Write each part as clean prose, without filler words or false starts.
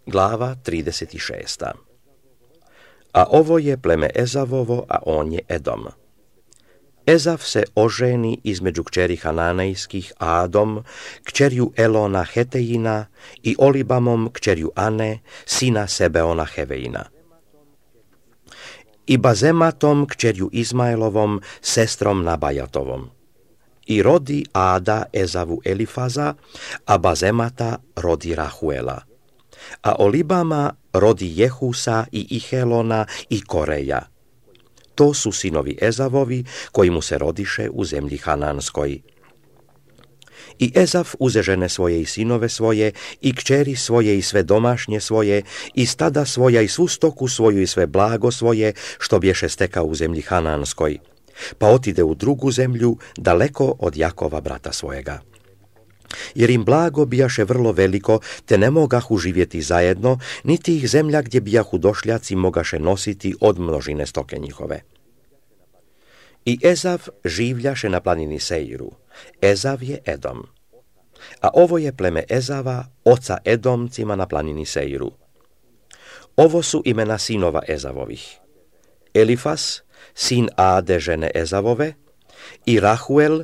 Glava 36. A ovo je pleme Ezavovo, a on je Edom. Ezav se oženi između kćeri Hananejskih Adom, kćerju Elona Hetejina i Olibamom kćerju Ane, sina Sebeona Heveina. I Bazematom kćerju Izmaelovom, sestrom Nabajatovom. I rodi Ada Ezavu Elifaza, a Bazemata rodi Rahuela. A Olibama rodi Jehusa i Ihelona i Koreja. To su sinovi Ezavovi koji mu se rodiše u zemlji Hananskoj. I Ezav uze žene svoje i sinove svoje, i kćeri svoje i sve domašnje svoje, i stada svoja i svu stoku svoju i sve blago svoje, što bješe stekao u zemlji Hananskoj. Pa otide u drugu zemlju, daleko od Jakova brata svojega. Jer im blago bijaše vrlo veliko, te ne mogahu živjeti zajedno, niti ih zemlja gdje bijahu došljaci mogaše nositi od množine stoke njihove. I Ezav življaše na planini Seiru. Ezav je Edom. A ovo je pleme Ezava, oca Edomcima na planini Seiru. Ovo su imena sinova Ezavovih. Elifas, sin Ade žene Ezavove, i Rahuel,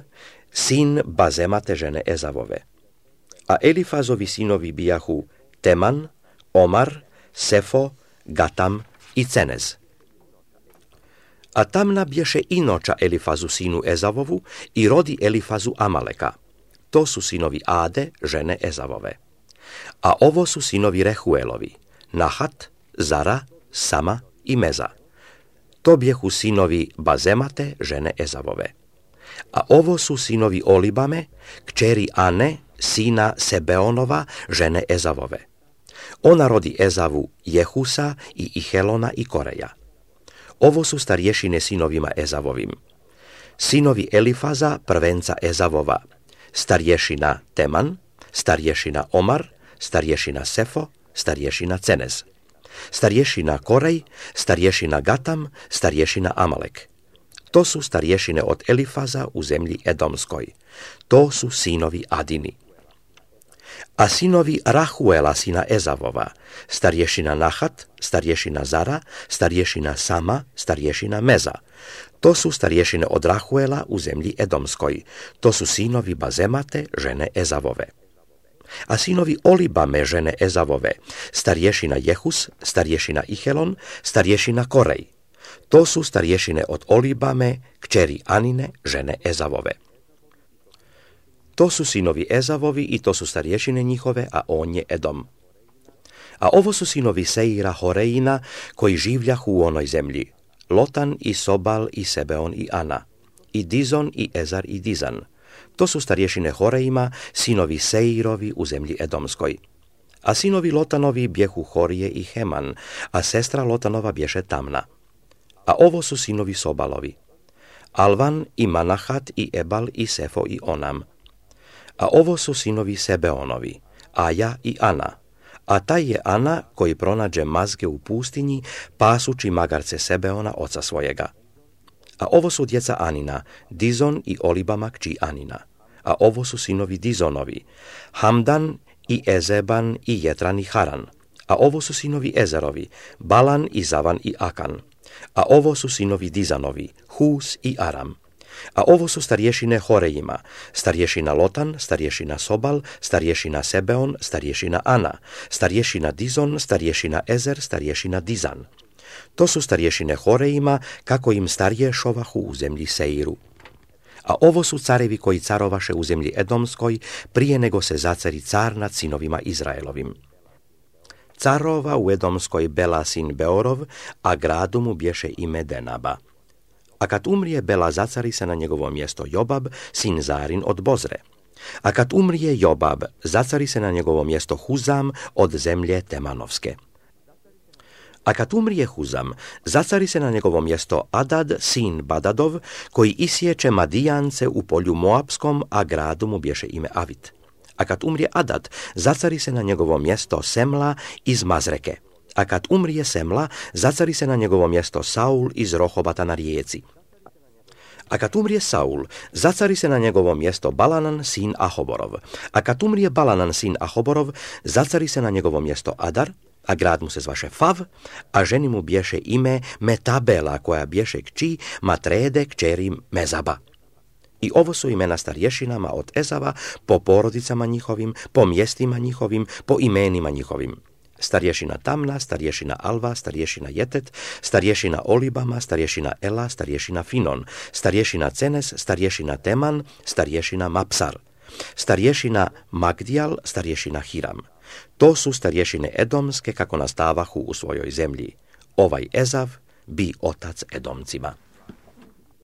sin Bazemate žene Ezavove. A Elifazovi sinovi bijahu Teman, Omar, Sefo, Gatam i Cenez. A Tamna bješe inoča Elifazu sinu Ezavovu i rodi Elifazu Amaleka. To su sinovi Ade žene Ezavove. A ovo su sinovi Rehuelovi, Nahat, Zara, Sama i Meza. To bjehu sinovi Bazemate žene Ezavove. A ovo su sinovi Olibame, kćeri Ane, sina Sebeonova, žene Ezavove. Ona rodi Ezavu Jehusa i Ihelona i Koreja. Ovo su starješine sinovima Ezavovim. Sinovi Elifaza, prvenca Ezavova, starješina Teman, starješina Omar, starješina Sefo, starješina Cenez. Starješina Korej, starješina Gatam, starješina Amalek. To su starješine od Elifaza u zemlji Edomskoj. To su sinovi Adini. A sinovi Rahuela sina Ezavova, starješina Nahat, starješina Zara, starješina Sama, starješina Meza. To su starješine od Rahuela u zemlji Edomskoj. To su sinovi Bazemate žene Ezavove. A sinovi Olibame žene Ezavove, starješina Jehus, starješina Ihelon, starješina Korej. To su starješine od Olibame, kćeri Anine, žene Ezavove. To su sinovi Ezavovi i to su starješine njihove, a on je Edom. A ovo su sinovi Seira Horeina, koji življahu u onoj zemlji. Lotan i Sobal i Sebeon i Ana. I Dizon i Ezar i Dizan. To su starješine Horeima, sinovi Seirovi u zemlji Edomskoj. A sinovi Lotanovi bjehu Horije i Heman, a sestra Lotanova bješe Tamna. A ovo su sinovi Sobalovi. Alvan i Manahat i Ebal i Sefo i Onam. A ovo su sinovi Sebeonovi, Aja i Ana. A taj je Ana koji pronađe mazge u pustinji, pasući magarce Sebeona oca svojega. A ovo su djeca Anina, Dizon i Olibama kći Anina. A ovo su sinovi Dizonovi, Hamdan i Ezeban i Jetran i Haran. A ovo su sinovi Ezerovi, Balan i Zavan i Akan. A ovo su sinovi Dizanovi, Hus i Aram. A ovo su starješine Horejima, starješina Lotan, starješina Sobal, starješina Sebeon, starješina Ana, starješina Dizon, starješina Ezer, starješina Dizan. To su starješine Horejima, kako im starješovahu u zemlji Seiru. A ovo su carevi koji carovaše u zemlji Edomskoj, prije nego se zacari car nad sinovima Izraelovim. Carova u Edomskoj Bela sin Beorov, a gradu mu bješe ime Denaba. A kad umrije Bela, zacari se na njegovo mjesto Jobab, sin Zarin od Bozre. A kad umrije Jobab, zacari se na njegovo mjesto Huzam od zemlje Temanovske. A kad umrije Huzam, zacari se na njegovo mjesto Adad, sin Badadov, koji isječe Madijance u polju Moabskom, a gradu mu bješe ime Avit. A kad umrije Adad, zacari se na njegovo mjesto Semla iz Mazreke. A kad umrije Semla, zacari se na njegovo mjesto Saul iz Rohobata na rijeci. A kad umrije Saul, zacari se na njegovo mjesto Balanan, sin Ahoborov. A kad umrije Balanan, sin Ahoborov, zacari se na njegovo mjesto Adar. a grad mu se zvaše Fav, a ženi mu bješe ime Metabela, koja bješe kći Matrede kćeri Mezaba. I ovo su imena starješinama od Ezava po porodicama njihovim, po mjestima njihovim, po imenima njihovim. Starješina Tamna, starješina Alva, starješina Jetet, starješina Olibama, starješina Ela, starješina Finon, starješina Cenes, starješina Teman, starješina Mapsar, starješina Magdijal, starješina Hiram. To su starješine edomske kako nastavahu u svojoj zemlji. Ovaj Ezav bi otac Edomcima.